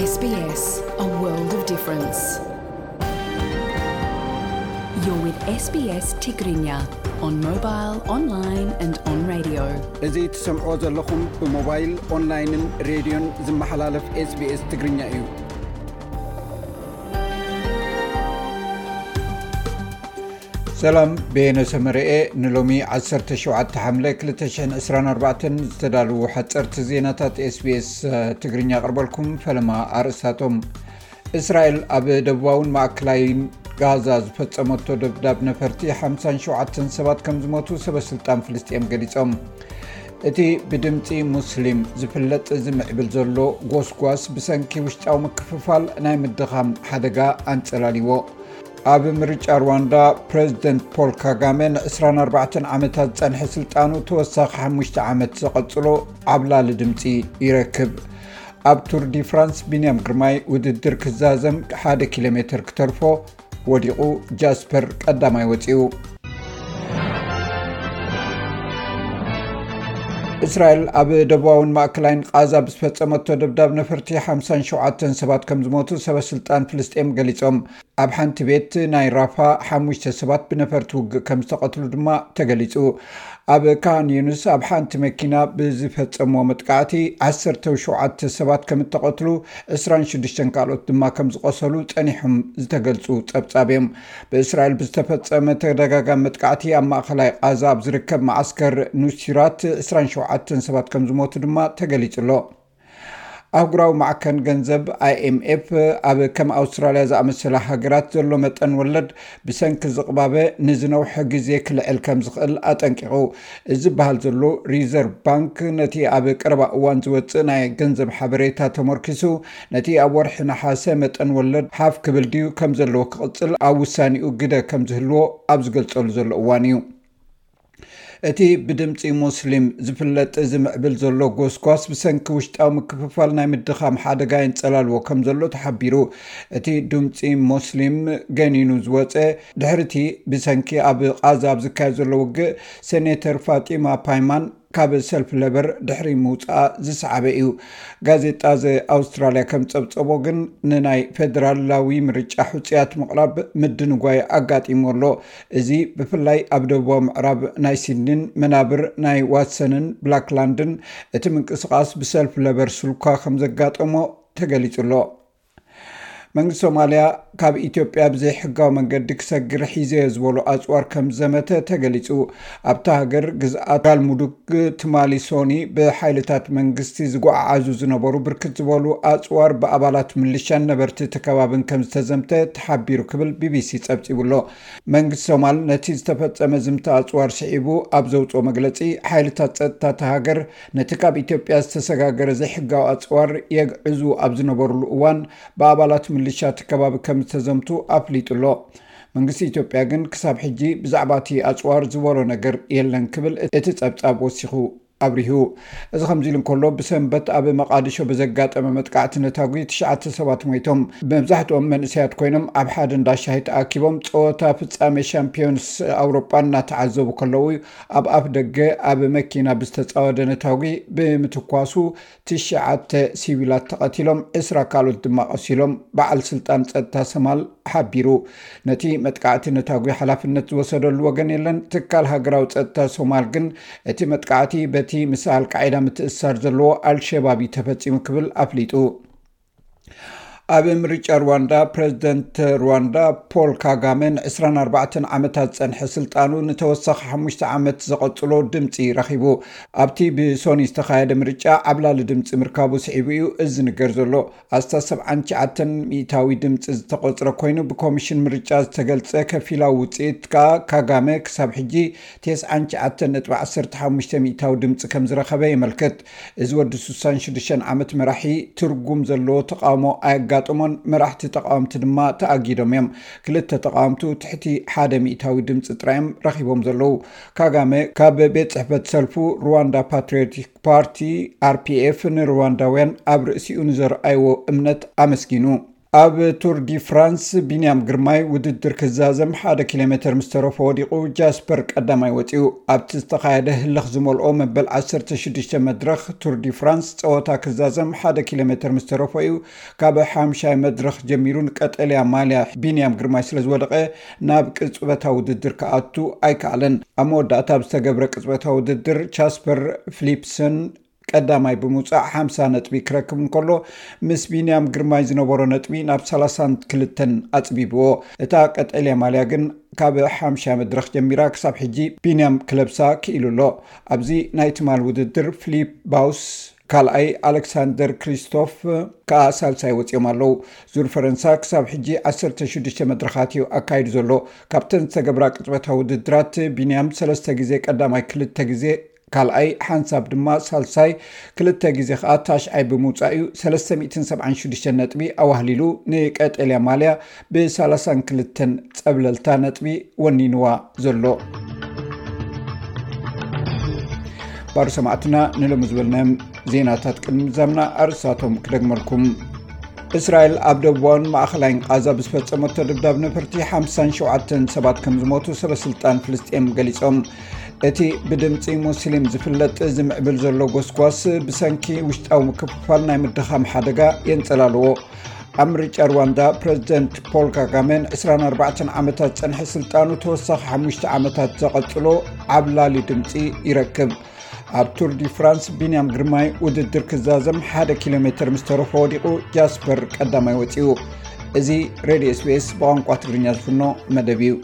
S B S, a world of difference. You're with S B S Tigrinya on mobile, online and on radio. እዚ ትሰምዖ ዘለኹም ብሞባይል፣ ኦንላይንን ሬድዮን ዝመሓላለፍ SBS ትግርኛ እዩ። ሰላም፣ በየነ ሰመረኤ። ንሎሚ ዓሰርተ ሸውዓተ ሓምለ ክልተ ሽሕን ዕስራን ኣርባዕተን ዝተዳለዉ ሓጸርቲ ዜናታት SBS ትግርኛ ኣቕርበልኩም። ፈለማ ኣርእስታቶም። እስራኤል ኣብ ደቡባውን ማእከላይን ጋዛ ዝፈጸመቶ ደብዳብ ነፈርቲ ሓምሳን ሸውዓተን ሰባት ከም ዝሞቱ ሰበ ስልጣን ፍልስጤም ገሊጾም። እቲ ብድምጺ ሙስሊም ዝፍለጥ ዝምዕብል ዘሎ ጎስጓስ ብሰንኪ ውሽጣዊ ምክፍፋል ናይ ምድኻም ሓደጋ ኣንጸላልዎ። ኣብ ምርጫ ሩዋንዳ ፕረዚደንት ፖል ካጋመ ንዕስራን ኣርባዕተን ዓመታት ዝጸንሐ ስልጣኑ ተወሳኺ ሓሙሽተ ዓመት ዘቐጽሎ ዓብላሊ ድምጺ ይረክብ። ኣብ ቱር ዲ ፍራንስ ቢንያም ግርማይ ውድድር ክዛዘም ሓደ ኪሎ ሜትር ክተርፎ ወዲቑ፣ ጃስፐር ቀዳማይ ወጺኡ። እስራኤል ኣብ ደቡባውን ማእከላይን ቃዛ ብዝፈጸመቶ ደብዳብ ነፈርቲ ሓምሳን ሸውዓተን ሰባት ከም ዝሞቱ ሰበ ስልጣን ፍልስጤም ገሊጾም። ኣብ ሓንቲ ቤት ናይ ራፋ ሓሙሽተ ሰባት ብነፈርቲ ውግእ ከም ዝተቐትሉ ድማ ተገሊጹ። ኣብ ካን ዩኑስ ኣብ ሓንቲ መኪና ብዝፈጸሞ መጥቃዕቲ ዓሰርተ ሸውዓተ ሰባት ከም እተቐትሉ፣ ዕስራን ሽዱሽተን ካልኦት ድማ ከም ዝቖሰሉ ጸኒሖም ዝተገልጹ ጸብጻብ እዮም። ብእስራኤል ብዝተፈጸመ ተደጋጋሚ መጥቃዕቲ ኣብ ማእከላይ ቃዛ ኣብ ዝርከብ መዓስከር ኑሲራት ዕስራን ሸውዓተን ሰባት ከም ዝሞቱ ድማ ተገሊጹ ኣሎ። ኣህጉራዊ ማዕከን ገንዘብ፣ ኣይኤምኤፍ፣ ኣብ ከም ኣውስትራልያ ዝኣመሰላ ሃገራት ዘሎ መጠን ወለድ ብሰንኪ ዝቕባበ ንዝነውሐ ግዜ ክልዕል ከም ዝኽእል ኣጠንቂቑ። እዚ ዝበሃል ዘሎ፣ ሪዘርቭ ባንክ ነቲ ኣብ ቀረባ እዋን ዝወጽእ ናይ ገንዘብ ሓበሬታ ተመርኪሱ፣ ነቲ ኣብ ወርሒ ነሓሰ መጠን ወለድ ሓፍ ክብል ድዩ ከም ዘለዎ ክቕጽል ኣብ ውሳኔኡ ግደ ከም ዝህልዎ ኣብ ዝገልጸሉ ዘሎ እዋን እዩ። እቲ ብድምጺ ሙስሊም ዝፍለጥ ዝምዕብል ዘሎ ጎስጓስ ብሰንኪ ውሽጣዊ ምክፍፋል ናይ ምድኻም ሓደጋ የንጸላልዎ ከም ዘሎ ተሓቢሩ። እቲ ድምጺ ሙስሊም ገኒኑ ዝወጸ ድሕሪቲ ብሰንኪ ኣብ ቃዛ ኣብ ዝካየድ ዘሎ ውግእ ሴኔተር ፋጢማ ፓይማን ካብ ሰልፍ ለበር ድሕሪ ምውጻኣ ዝሰዓበ እዩ። ጋዜጣ ዘ ኣውስትራልያ ከም ጸብጸቦ ግን ንናይ ፌደራላዊ ምርጫ ሕጹያት ምቕራብ ምድንጓይ ኣጋጢሙ ኣሎ። እዚ ብፍላይ ኣብ ደቡባዊ ምዕራብ ናይ ሲድኒን መናብር ናይ ዋትሰንን ብላክላንድን እቲ ምንቅስቓስ ብሰልፍ ለበር ስልኳ ከም ዘጋጠሞ ተገሊጹ ኣሎ። መንግስቲ ሶማልያ ካብ ኢትዮጵያ ብዘይሕጋዊ መንገዲ ክሰግር ሒዘዮ ዝበሎ ኣጽዋር ከም ዘመተ ተገሊጹ። ኣብታ ሃገር ግዝኣት ጋልሙዱግ ትማሊ ሶኒ ብሓይልታት መንግስቲ ዝጓዓዓዙ ዝነበሩ ብርክት ዝበሉ ኣጽዋር ብኣባላት ምልሻን ነበርቲ እቲ ከባብን ከም ዝተዘምተ ተሓቢሩ ክብል ቢቢሲ ጸብጺቡ ኣሎ። መንግስቲ ሶማል ነቲ ዝተፈጸመ ዝምታ ኣጽዋር ስዒቡ ኣብ ዘውጽኦ መግለጺ፣ ሓይልታት ጸጥታ እታ ሃገር ነቲ ካብ ኢትዮጵያ ዝተሰጋገረ ዘይሕጋዊ ኣጽዋር የግዕዙ ኣብ ዝነበሩሉ እዋን ብኣባላት ምልሻ እቲ ከባቢ ከም ዝተዘምቱ ኣፍሊጡ ኣሎ። መንግስቲ ኢትዮጵያ ግን ክሳብ ሕጂ ብዛዕባ እቲ ኣጽዋር ዝበሎ ነገር የለን ክብል እቲ ጸብጻብ ወሲኹ ኣብሪሁ። እዚ ከምዚ ኢሉ እንከሎ፣ ብሰንበት ኣብ መቃዲሾ ብዘጋጠመ መጥቃዕቲ ነታጒ ትሽዓተ ሰባት ሞይቶም። መብዛሕትኦም መንእሰያት ኮይኖም ኣብ ሓደ እንዳ ሻሂ ተኣኪቦም ጸወታ ፍጻሜ ሻምፒዮንስ ኣውሮጳ እናተዓዘቡ ከለዉ ኣብ ኣፍ ደገ ኣብ መኪና ብዝተጻወደ ነታጒ ብምትኳሱ ትሽዓተ ሲቪላት ተቐቲሎም፣ ዕስራ ካልኦት ድማ ቆሲሎም፣ በዓል ስልጣን ጸጥታ ሶማል ሓቢሩ። ነቲ መጥቃዕቲ ነታጒ ሓላፍነት ዝወሰደሉ ወገን የለን። ትካል ሃገራዊ ጸጥታ ሶማል ግን እቲ መጥቃዕቲ በቲ ምስ ኣልቃዒዳ ምትእስሳር ዘለዎ ኣልሸባብ እዩ ተፈጺሙ ክብል ኣፍሊጡ። ኣብ ምርጫ ሩዋንዳ፣ ፕረዚደንት ሩዋንዳ ፖል ካጋመ ንዕስራን ኣርባዕተን ዓመታት ዝጸንሐ ስልጣኑ ንተወሳኺ ሓሙሽተ ዓመት ዘቐጽሎ ድምጺ ረኺቡ። ኣብቲ ብሶኒ ዝተኻየደ ምርጫ ዓብላሊ ድምጺ ምርካቡ ስዒቡ እዩ እዚ ዝንገር ዘሎ። ኣስታት ሰብዓን ትሽዓተን ሚእታዊ ድምጺ ዝተቖጽረ ኮይኑ፣ ብኮሚሽን ምርጫ ዝተገልጸ ከፊላዊ ውጽኢት ከኣ ካጋመ ክሳብ ሕጂ ተስዓን ትሽዓተን ነጥቢ ዓሰርተ ሓሙሽተ ሚእታዊ ድምጺ ከም ዝረኸበ የመልክት። እዚ ወዲ ስሳን ሽዱሽተን ዓመት መራሒ ትርጉም ዘለዎ ተቓውሞ ኣየጋጠሞን፣ መራሕቲ ተቓወምቲ ድማ ተኣጊዶም እዮም። ክልተ ተቓወምቱ ትሕቲ ሓደ ሚእታዊ ድምጺ ጥራይ እዮም ረኺቦም ዘለዉ። ካጋመ ካብ ቤት ጽሕፈት ሰልፉ ሩዋንዳ ፓትሪዮቲክ ፓርቲ፣ ኣር ፒ ኤፍ፣ ንሩዋንዳውያን ኣብ ርእሲኡ ንዘርኣይዎ እምነት ኣመስጊኑ። ኣብ ቱር ዲ ፍራንስ ቢንያም ግርማይ ውድድር ክዛዘም ሓደ ኪሎ ሜትር ምስ ተረፎ ወዲቑ ጃስፐር ቀዳማይ ወፂኡ። ኣብቲ ዝተኻየደ ህልኽ ዝመልኦ መበል ዓሰርተ ሽዱሽተ መድረኽ ቱር ዲ ፍራንስ ጸወታ ክዛዘም ሓደ ኪሎ ሜትር ምስ ተረፎ እዩ ካብ ሓምሻይ መድረኽ ጀሚሩ ንቀጠልያ ማልያ ቢንያም ግርማይ ስለ ዝወደቐ ናብ ቅጽበታዊ ውድድር ክኣቱ ኣይከኣለን። ኣብ መወዳእታ ኣብ ዝተገብረ ቅጽበታዊ ውድድር ቻስፐር ፍሊፕሰን ቀዳማይ ብምውፃእ ሓምሳ ነጥቢ ክረክብ እንከሎ ምስ ቢንያም ግርማይ ዝነበሮ ነጥቢ ናብ ሰላሳን ክልተን ኣፅቢብዎ። እታ ቀጠልያ ማልያ ግን ካብ ሓምሻ መድረኽ ጀሚራ ክሳብ ሕጂ ቢንያም ክለብሳ ክኢሉ ኣሎ። ኣብዚ ናይ ትማል ውድድር ፍሊፕ ባውስ ካልኣይ፣ ኣሌክሳንደር ክሪስቶፍ ከኣ ሳልሳይ ወፂኦም ኣለዉ። ዙር ፈረንሳ ክሳብ ሕጂ ዓሰርተ ሽዱሽተ መድረኻት እዩ ኣካይዱ ዘሎ። ካብተን ዝተገብራ ቅጽበታዊ ውድድራት ቢንያም ሰለስተ ግዜ ቀዳማይ፣ ክልተ ግዜ ካልኣይ፣ ሓንሳብ ድማ ሳልሳይ፣ ክልተ ግዜ ከኣ ታሽዓይ ብምውጻእ እዩ ሰለስተ ሚእትን ሰብዓን ሽዱሽተ ነጥቢ ኣዋህሊሉ ንቀጠልያ ማልያ ብ ሰላሳን ክልተን ጸብለልታ ነጥቢ ወኒንዋ ዘሎ። ባር ሰማዕትና፣ ንሎሚ ዝበልናዮም ዜናታት ቅድሚ ምዛምና ኣርእስታቶም ክደግመልኩም። እስራኤል ኣብ ደቡባውን ማእኸላይን ቃዛ ብዝፈጸመቶ ደብዳብ ነፈርቲ ሓምሳን ሸውዓተን ሰባት ከም ዝሞቱ ሰበ ስልጣን ፍልስጤም ገሊጾም። እቲ ብድምጺ ሙስሊም ዝፍለጥ ዝምዕብል ዘሎ ጎስጓስ ብሰንኪ ውሽጣዊ ምክፍፋል ናይ ምድኻም ሓደጋ የንጸላልዎ። ኣብ ምርጫ ሩዋንዳ ፕረዚደንት ፖል ካጋሜን ዕስራን ኣርባዕተን ዓመታት ጸንሐ ስልጣኑ ተወሳኺ ሓሙሽተ ዓመታት ዘቐጽሎ ዓብላሊ ድምጺ ይረክብ። ኣብ ቱር ዲ ፍራንስ ቢንያም ግርማይ ውድድር ክዛዘም ሓደ ኪሎ ሜትር ምስ ተረፎ ወዲቑ ጃስፐር ቀዳማይ ወጺኡ። እዚ ሬድዮ ኤስቢኤስ ብቋንቋ ትግርኛ ዝፍኖ መደብ እዩ።